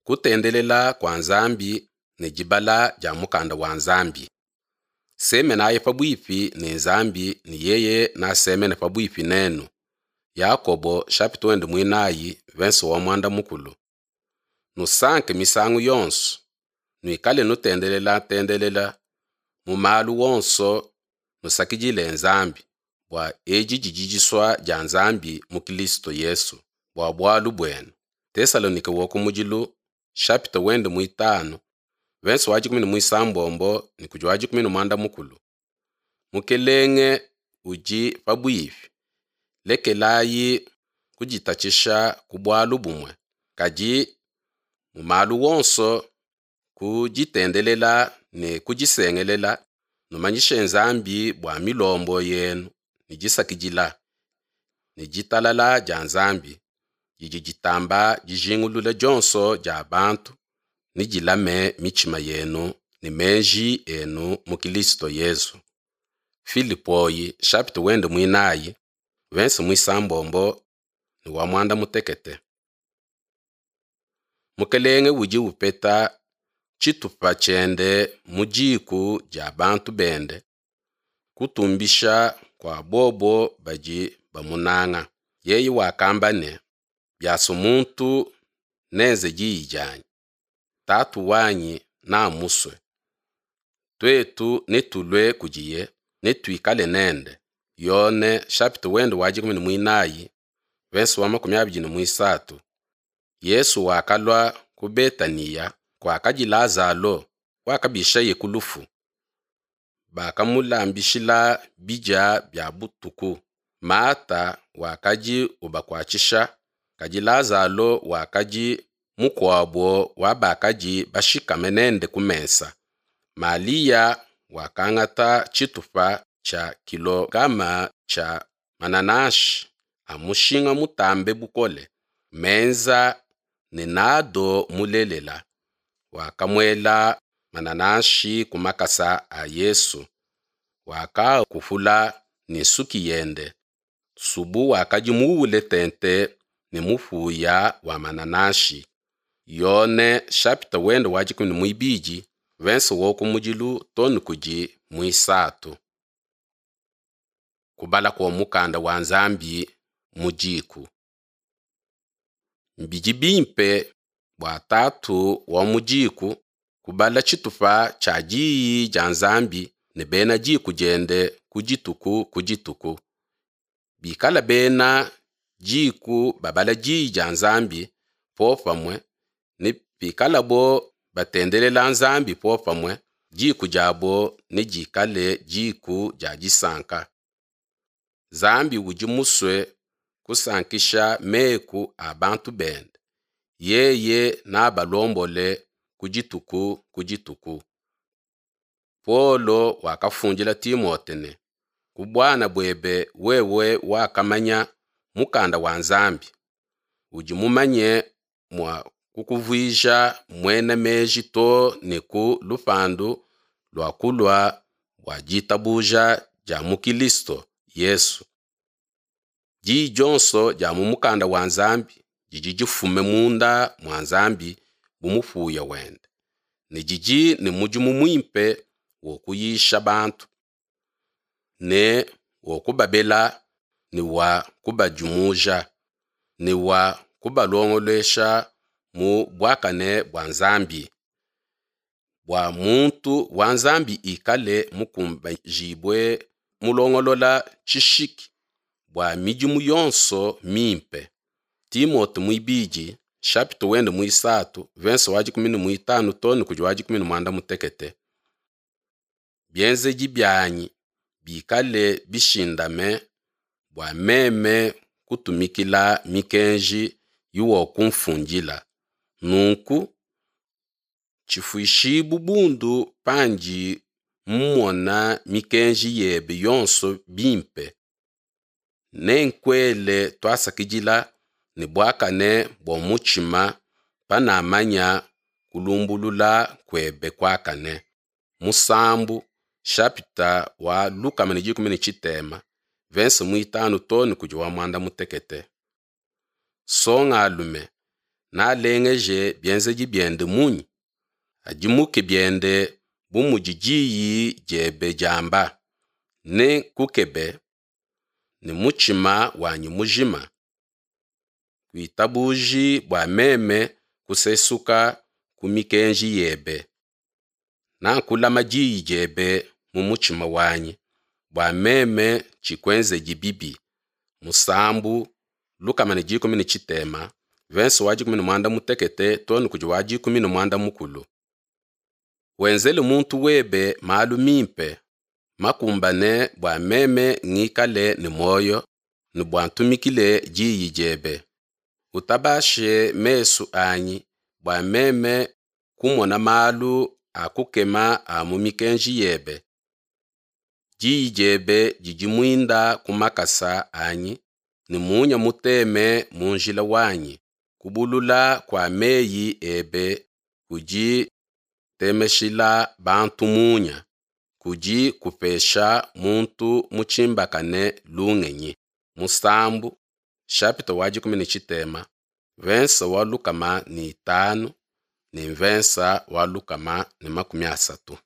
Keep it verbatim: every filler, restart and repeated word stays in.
Kutendelela kua Nzambi ne dibala dia mukanda wa Nzambi. Semenayi pabuipi ne Nzambi ne yeye nasemene pabuipi nenu. Yakobo chapitre wende muinayi verse wa muanda mukulu. Nusanke misangu yonso, nuikale nutendelela tendelela mu malu wonso nusakidile Nzambi, bua edi didi disua dia Nzambi mu Kilisto Yesu bua bualu buenu. Tesalonike wa kumudilu chapitre wende muitanu verse wa dikumi ne muisambombo ne kudi wa dikumi ne muanda mukulu. Mukelenge udi pabuipi, lekelayi kuditatshisha ku bualu bumue, kadi mu malu wonso ku ditendelela ne ku disengelela numanyishe Nzambi bua milombo yenu ne disakidila ne ditalala dia Nzambi didi ditamba dijingulula dionso dia bantu ne dilame mitshima yenu ne meji enu mu Kilisto Yesu. Filipoi chapitre wende muinayi verse muisambombo ne wa muanda mutekete. Mukelenge udi upeta tshitupa tshiende mu diku dia bantu bende, kutumbisha kua bobo badi bamunanga. Yeye wakamba ne, biasua muntu nenze diyi dianyi, Tatu wanyi namusue. Tuetu netulue kudiye, netuikale nende. Yone chapitre wende wa dikumi ne muinayi verse wa makumi abidi ne muisatu. Yesu wakalua ku Betaniya kuakadi Lazalo wakabishaye ku lufu. Bakamulambishila bidia bia butuku. Mata wakadi ubakuatshisha, kadi Lazalo wakadi mukuabo wa bakadi bashikame nende ku mesa. Malia wakangata tshitupa tshia kilogama tshia manananshi a mushinga mutambe bukole, menza ne nado mulelela. Wakamuela manananshi ku makasa a Yesu, wakaakupula ne nsuki yende. Nsubu wakadi muule tente ne mupuya wa manananshi. Yone chapitre wende wa dikumi ne muibidi verse wa kumudilu too ne kudi muisatu. Kubala kua mukanda wa Nzambi mu diku. Bidi bimpe bua tatu wa mu diku kubala tshitupa tshia diyi dia Nzambi ne bena diku diende ku dituku ku dituku. Bikala bena diku babala diyi dia Nzambi popamue ne pikalabo batendelela Nzambi popamue, diku diabo nedikale diku dia disanka. Nzambi udi musue kusankisha meku a bantu bende. Yeye nabalombole ku dituku ku dituku. Paulo wakafundila Timote ne, ku buana buebe wewe wakamanya mukanda wa Nzambi, udi mumanye mua kukuvuija muena meji too ne ku lupandu lua kulua bua ditabuja dia mu Kilisto Yesu. Diyi dionso dia mu mukanda wa Nzambi didi difume munda mua Nzambi bu mupuya wende, ne didi ne mudimu muimpe wa kuyisha bantu, ne wa kubabela, ne wa kubadimuja, ne wa kubalongolesha mu buakane bua Nzambi, bua muntu wa Nzambi ikale mukumbajibue mulongolola tshishiki bua midimu yonso mimpe. Timote muibidi chapitre wende muisatu verse wa dikumi ne muitanu too ne kudi wa dikumi ne muanda mutekete. Bienzedi bianyi bikale bishindame bua meme kutumikila mikenji iwakumfundila. Nunku tshifuishibu bundu pandi mmona mikenji yebe yonso bimpe. Nenkuele tuasakidila ne buakane bua mutshima panamanya kulumbulula kuebe kuakane. Musambu chapitre wa lukama ne dikumi ne tshitema verse muitanu too ne kudi wa muanda mutekete. Songalume, Nalengeje bienzedi biende munyi? Adimuke biende bu mudi diyi diebe diamba. Nenkukebe ne mutshima wanyi mujima. Kuitabuji bua meme kusesuka ku mikenji yebe. Nakulama diyi diebe mu mutshima wanyi, bua meme tshikuenzedi bibi. Musambu lukama ne dikumi ne tshitema mvensa wa dikumi ne muanda mutekete too ne kudi wa dikumi ne muanda mukulu. Wenzele muntu webe malu mimpe makumbane bua meme ngikale ne muoyo ne bua ntumikile diyi diebe. Utabashe mesu anyi bua meme kumona malu a kukema a mu mikenji yebe. Diyi diebe didi muinda ku makasa anyi ne munya muteme mu njila wanyi. Kubulula kua meyi ebe kudi kutemeshila bantu munya, kudi kupesha muntu mutshimbakane lungenyi. Musambu chapitre wa dikumi ne tshitema mvensa wa lukama ne itanu ne mvensa wa lukama ne makumi asatu.